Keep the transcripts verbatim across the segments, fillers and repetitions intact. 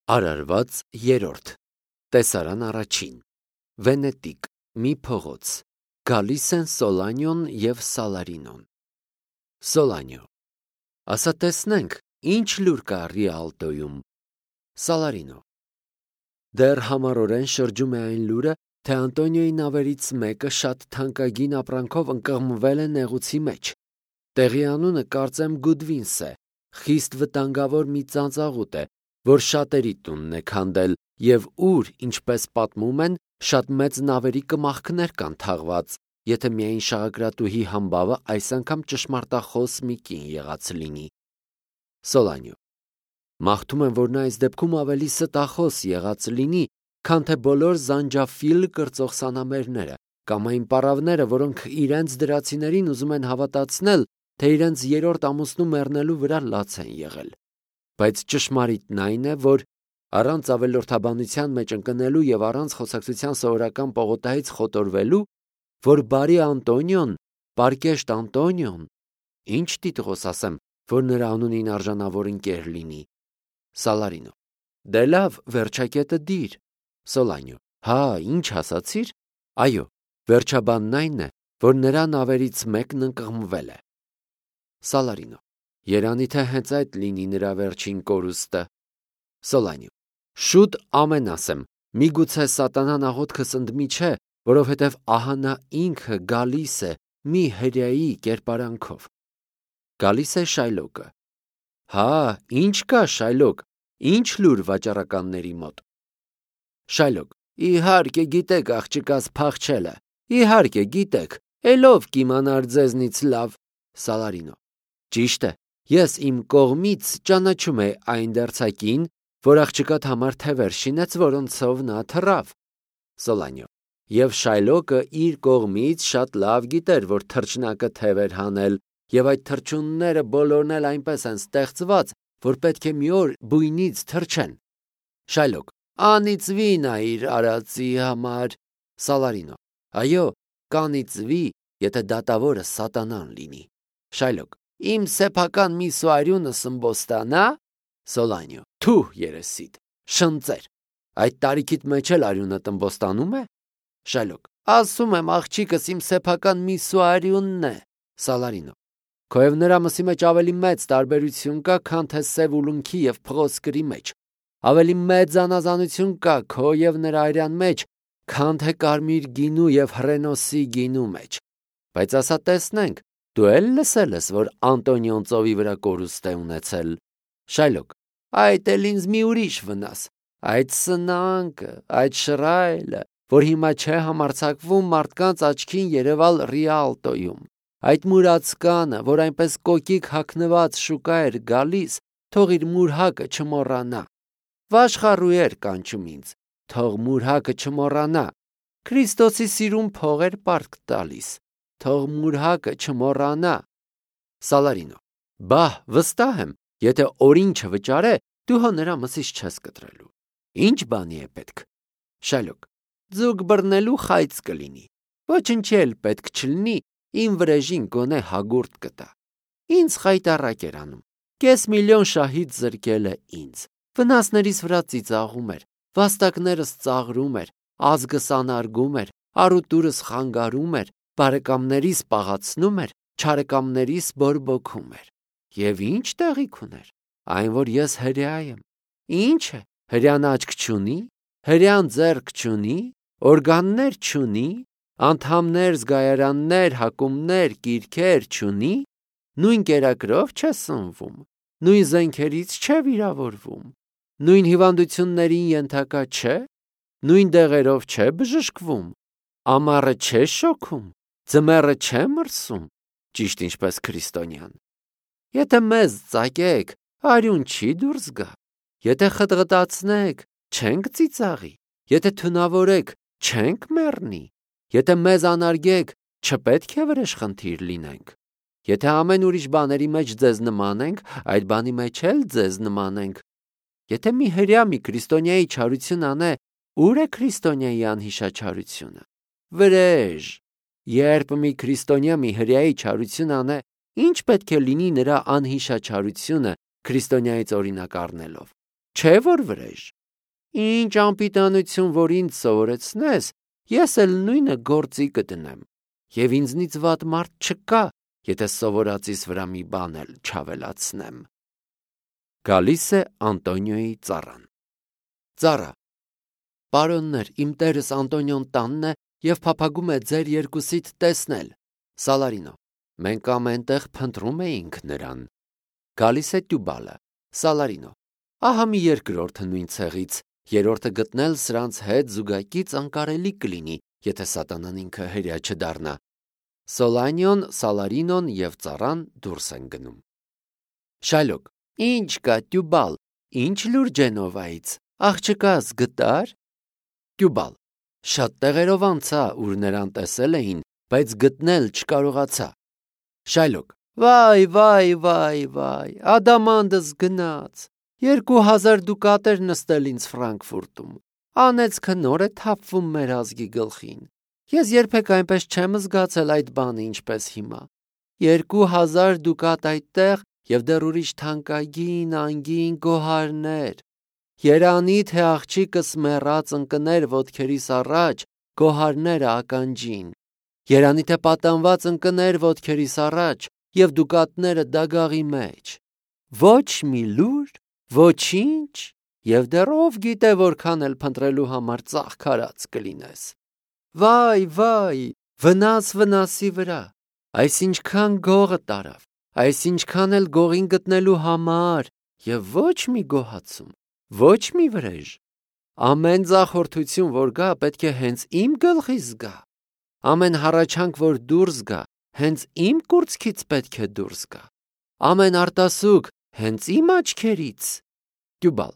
Արարված երրորդ Տեսարան առաջին Վենետիկ մի փողոց Գալիս են Սոլանյոն և Սալարինոն Սոլանյո Ասա տեսնենք ինչ լուր կա Ռիալտոյում Սալարինո Դեռ համառորեն շրջում է այն լուրը, թե Անտոնիոյի նավերից մեկը շատ թանկագին ապրանքով ընկղմվել է նեղուցի մեջ։ Տեղի անունը կարծեմ Գուդվինս է, խիստ վտանգավոր մի ծանծաղուտ է, որ շատերի տունն է քանդել և ուր, ինչպես պատմում են, շատ մեծ նավերի կմախքներ կան թաղված, եթե միայն շաղակրատուհի համբավը այս անգամ ճշմարտախոս մի կին եղած լինի։ Սոլանյո Մաղթում եմ, որ նա այս դեպքում ավելի ստախոս եղած լինի, քան թե բոլոր զանջաֆիլ կրծող սանամերները կամ այն պառավները, որոնք իրենց դրացիներին ուզում են հավատացնել, թե իրենց երրորդ ամուսնու մեռնելու վրա լաց են եղել։ Բայց ճշմարիտն այն է, որ առանց ավելորդաբանության մեջ ընկնելու և առանց խոսակցության սովորական պողոտայից խոտորվելու, որ բարի Անտոնիոն, պարկեշտ Անտոնիոն, ինչ տիտղոս ասեմ, որ նրա անունին արժանավոր ընկեր լինի։ Սալարինո Դե լավ, վերջակետը դիր։ Սոլանյո Հա, ինչ ասացիր։ Այո, վերջաբանն այն է, որ նրա նավերից մեկն ընկղմվել է։ Սալարինո Երանի թե հենց այդ լինի նրա վերջին կորուստը։ Սոլանյո Շուտ ամեն ասեմ, միգուցե սատանան աղոթքս ընդմի չէ, որովհետև ահա նա ինքը գալիս է մի հրեայի կերպարանքով։ Գալիս է Շայլոկը։ Հա, ինչ կա Շայլոկ, ինչ լուր վաճառականների մոտ։ Շայլոկ Իհարկե գիտեք աղջկաս փախչելը, իհարկե գիտեք, էլով կիմանար ձեզնից լավ։ Սալարինո Ճիշտ է, ես իմ կողմից ճանաչում է այն դերձակին, որ աղջկատ համար թևեր շինեց, որոնցով նա թռավ։ Սոլանյո Եվ Շայլոկը իր կողմից շատ լավ գիտեր, որ թռչնակը թևեր հանել, և այդ թռչունները բոլորն էլ այնպես են ստեղծված, որ պետք է մի օր բույնից թռչեն։ Շայլոկ Անիծվի նա իր արածի համար։ Սալարինո Այո, կանիծվի, եթե դատավորը սատանան լինի։ Շայլոկ Իմ սեփական միսուարյունը սմբոստանա։ Սոլանյո Թուհ երեսիդ, շնծեր, այդ տարիքիդ մեջ էլ արյունը ըմբոստանում է։ Շայլոկ Ասում եմ աղջիկս իմ սեփական միսուարյունն է։ Սալարինո Քո և նրա մսի մեջ ավելի մեծ տարբերություն կա, քան թե սև ուլունքի և փղոսկրի մեջ, ավելի մեծ անազանություն կա քո և նրա արյան մեջ, քան թե կարմիր գինու և հռենոսի գինու մեջ։ Բայց ասա տեսնենք, դու էլ լսել ես, որ Անտոնիոն ծովի վրա կորուստ է ունեցել։ Շայլոկ Այդ էլ ինձ մի ուրիշ վնաս, այդ սնանկը, այդ շռայլը, որ հիմա չէ համարձակվում մարդկանց աչքին երևալ Ռիալտոյում, այդ մուրացկանը, որ այնպես կոկիկ հագնված շուկա էր գալիս, թող իր մուրհակը չմոռանա։ Վաշխառուեր կանչում ինձ, թող մուրհակը չմոռանա։ Քրիստոսի սիրուն փող էր պարտք տալիս, թող մուրհակը չմոռանա։ Սալարինո Բահ, վստահ եմ, եթե օրին չվճարե, դու հո նրա մսից չես կտրելու։ Ինչ բանի է պետք։ Շայլոկ Ձուկ բռնելու խայծ կլինի, ոչնչի էլ պետք չլինի, իմ վրեժին գոնե հագուրդ կտա։ Ինձ խայտառակ էր անում, կես միլիոն շահից զրկել է ինձ, վնասներիս վրա ծիծաղում էր, վաստակներս ծաղրում էր, ազգս անարգում էր, առուտուրս խանգարում էր, բարեկամներիս պաղացնում էր, չարեկամներիս բորբոքում էր։ Եվ ինչ տեղիք ուներ, այն որ ես հրեա եմ։ Ինչ է, հրեան աչք չունի, հրեան ձեռք չունի, օրգաններ չունի, անդամներ, զգայարաններ, հակումներ, կիրքեր չունի, նույն կերակրով չէ սնվում, նույն զենքերից չէ վիրավորվում, նույն հիվանդություններին ենթակա չէ, նույն դեղերով չէ բժշկվում, ամառը չէ շոքում, ձմեռը չէ մրսում, ճիշտ ինչպես քրիստոնյան։ Եթե մեզ ծակեք, արյուն չի դուրս գա, եթե խտղտացնեք, չենք ծիծաղի, եթե թունավորեք, չենք մեռնի, եթե մեզ անարգեք, չպետք է վրեժխնդիր լինենք։ Եթե ամեն ուրիշ բաների մեջ ձեզ նմանենք, այդ բանի մեջ էլ ձեզ նմանենք։ Եթե մի հրեա մի քրիստոնյայի չարություն անե, ուր է քրիստոնյայի անհիշաչարությունը։ Վրեժ։ Երբ մի քրիստոնյա մի հրեայի չարություն անե, ինչ պետք է լինի նրա անհիշաչարությունը քրիստոնյայից օրինակ առնելով։ Չէ՞ որ վրեժ։ Ինչ անպիտանություն, որ ինձ սովորեցնես, ես էլ նույնը գործի կդնեմ, և ինձնից վատ մարդ չկա, եթե սովորածիս վրա մի բան էլ չավելացնեմ։ Գալիս է Անտոնիոյի ծառան։ Ծառա. Պարոններ, իմ տերս Անտոնիոն տանն է և փափագում է ձեր երկուսիդ տեսնել։ Սալարինո. Մենք ամեն տեղ փնտրում էինք նրան։ Գալիս է Տյուբալը։ Սալարինո. Ահա մի երկրորդը նույն ցեղից, երրորդը գտնել սրանց հետ զուգակից անկարելի կլինի, եթե սատանան ինքը հրյա չդառնա։ Սոլանիոն, Սալարինոն և ծառան դուրս են գնում։ Շայլոկ. Ինչ կա, Տյուբալ, ինչ լուր Ջենովայից, աղջկաս գտար։ Տյուբալ. Շատ տեղերով անցա, ուր նրան տեսել էին, բայց գտնել չկարողացա։ Շայլոկ. Վայ, վայ, վայ, վայ, ադամանդս գնաց, երկու հազար դուկատ էր նստել ինձ Ֆրանկֆուրտում, անեծքը նոր է թափվում մեր ազգի գլխին, ես երբեք այնպես չեմ զգացել այդ բանը, ինչպես հիմա, երկու հազար դուկատ այդտեղ և դեռ ուրիշ թանկագին, անգին գոհարներ, երանի թե աղջիկս մեռած ընկներ ոտքերիս առաջ գոհարները ականջին, երանի թե պատանված ընկներ ոտքերիս առաջ և դուկատները դագաղի մեջ, ոչ մի լուր, ոչինչ, և դեռ ով գիտե որքան էլ փնտրելու համար ծաղկարած կլինես։ Վայ, վայ, վնաս վնասի վրա, այս ինչքան գողը տարավ, այս ինչքան էլ գողին գտնելու համար և ոչ մի գոհացում, ոչ մի վրեժ, ամեն ձախորդություն, որ գա, պետք է հենց իմ գլխից գա, ամեն հառաչանք, որ դուրս գա, հենց իմ կուրծքից պետք է դուրս գա, ամեն արտասուք հենց իմ աչքերից։ Տյուբալ.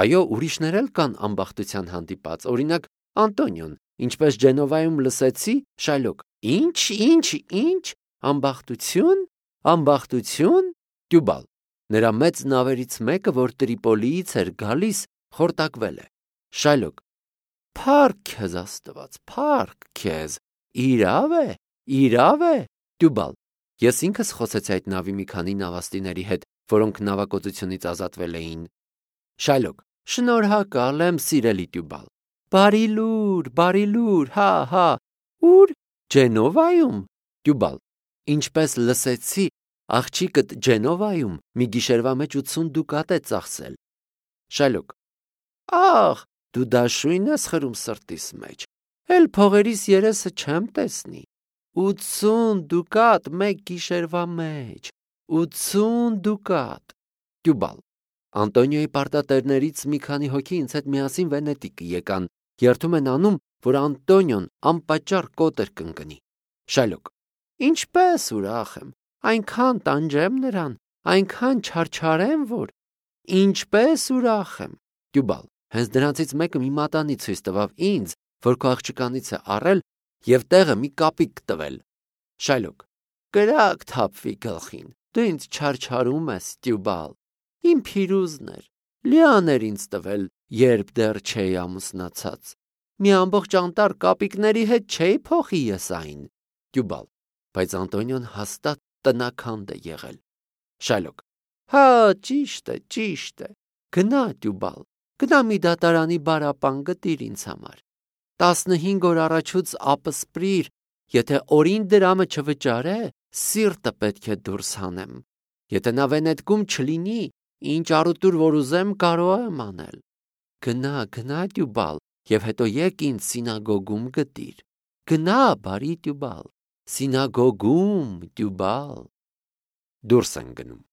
Այո, ուրիշներ էլ կան ամբախտության հանդիպած, օրինակ Անտոնիոն, ինչպես Ջենովայում լսեցի։ Շայլոկ. Ինչ, ինչ, ինչ, ամբախտություն, ամբախտություն։ Տյուբալ. Նրա մեծ նավերից մեկը, որ Տրիպոլիից էր գալիս, խորտակվել է։ Շայլոկ. Փառք քեզ Աստված, փառք քեզ, իրավ է, իրավ է։ Տյուբալ. Ես ինքս խոսեցի այդ նավի մի քանի նավաստիների հետ, որոնք նավակոծությունից ազատվել էին։ Շայլոկ. Շնորհակալ եմ, սիրելի Տյուբալ, բարի լուր, բարի լուր, հա, հա, ուր, Ջենովայում։ Տյուբալ. Ինչպես լսեցի, աղջիկդ Ջենովայում մի գիշերվա մեջ ութսուն դուկատ է ծախսել։ Շայլոկ. Ախ, դու դաշույն ես խրում սրտիս մեջ, էլ փողերիս երեսը չեմ տեսնի, ութսուն դուկատ մեկ գիշերվա մեջ, ութսուն դուկատ։ Տյուբալ. Անտոնիոյի պարտատերներից մի քանի հոգի ինձ հետ միասին Վենետիկ եկան, երդում են անում, որ Անտոնիոն անպատճառ կոտեր կընկնի։ Շայլոկ. Ինչպես ուրախ եմ, այնքան տանջեմ նրան, այնքան չարչարեմ, որ ինչպես ուրախ եմ։ Տյուբալ. Հենց դրանցից մեկը մի մատանի ցույց տվավ ինձ, որ քո աղջկանից է առել և տեղը մի կապիկ տվել։ Շայլոկ. Կրակ թափվի գլխին, դու ինձ չարչարում ես, Տյուբալ, իմ փիրուզն էր, լիան էր ինձ տվել, երբ դեռ չէի ամուսնացած, մի ամբողջ անտառ կապիկների հետ չէի փոխի ես այն։ Տյուբալ. Բայց Անտոնիոն հաստատ տնաքանդ է եղել։ Շայլոկ. Հա, ճիշտ է, ճիշտ է, գնա Տյուբալ, գնա մի դատարանի բարապան գտիր ինձ համար, տասնհինգ օր առաջուց ապսպրիր, եթե օրին դրամը չվճարե, սիրտը պետք է դուրս հանեմ, եթե նա Վենետկում չլինի, ինչ առուտուր որ ուզեմ կարող եմ անել։ Գնա, գնա Տյուբալ, և հետո եկ ինձ սինագոգում գտիր, գնա բարի Տյուբալ, սինագոգում Տյուբալ։ Դուրս են գնում։